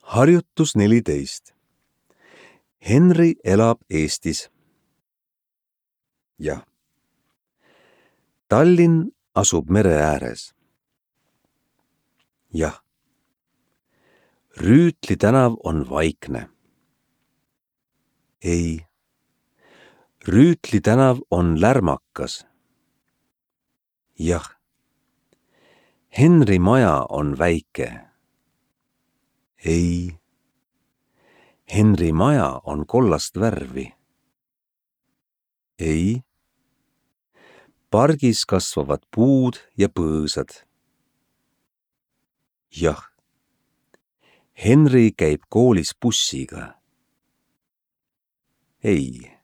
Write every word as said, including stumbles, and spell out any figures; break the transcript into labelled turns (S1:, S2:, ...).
S1: Harjutus neliteist. Henri elab Eestis. Jah. Tallinn asub mere ääres. Jah. Rüütli tänav on vaikne. Ei. Rüütli tänav on lärmakas. Jah. Henri maja on väike. Ei. Henri maja on kollast värvi. Ei. Pargis kasvavad puud ja põõsad. Jah. Henri käib koolis bussiga. Ei.